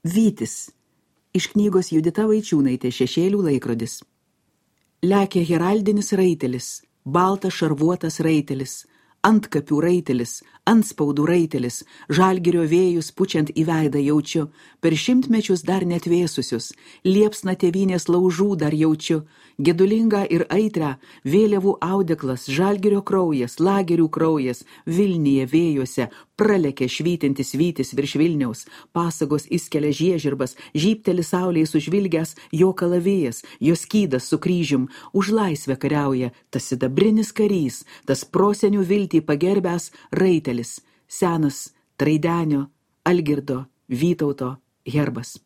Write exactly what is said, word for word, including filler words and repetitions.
Vytis. Iš knygos Judita Vaičiūnaitė Šešėlių laikrodis. Lekia heraldinis raitelis, baltas šarvuotas raitelis, antkapių raitelis, antspaudų raitelis, žalgirio vėjus pučiant į veidą jaučiu, per šimtmečius dar netvėsusius, liepsna tėvynės laužų dar jaučiu, gedulingą ir aitrę, vėliavų audeklas, žalgirio kraujas, lagerių kraujas, Vilnyje vėjuose, pralekia švytintis vytis virš Vilniaus, pasagos įskelia žiežirbas, žypteli saulėje sužvilgęs jo kalavijas, jo skydas su kryžium, už laisvę kariauja tas sidabrinis karys, tas prosenių viltį pagerbęs raitelis, senas Traidenio, Algirdo, Vytauto herbas.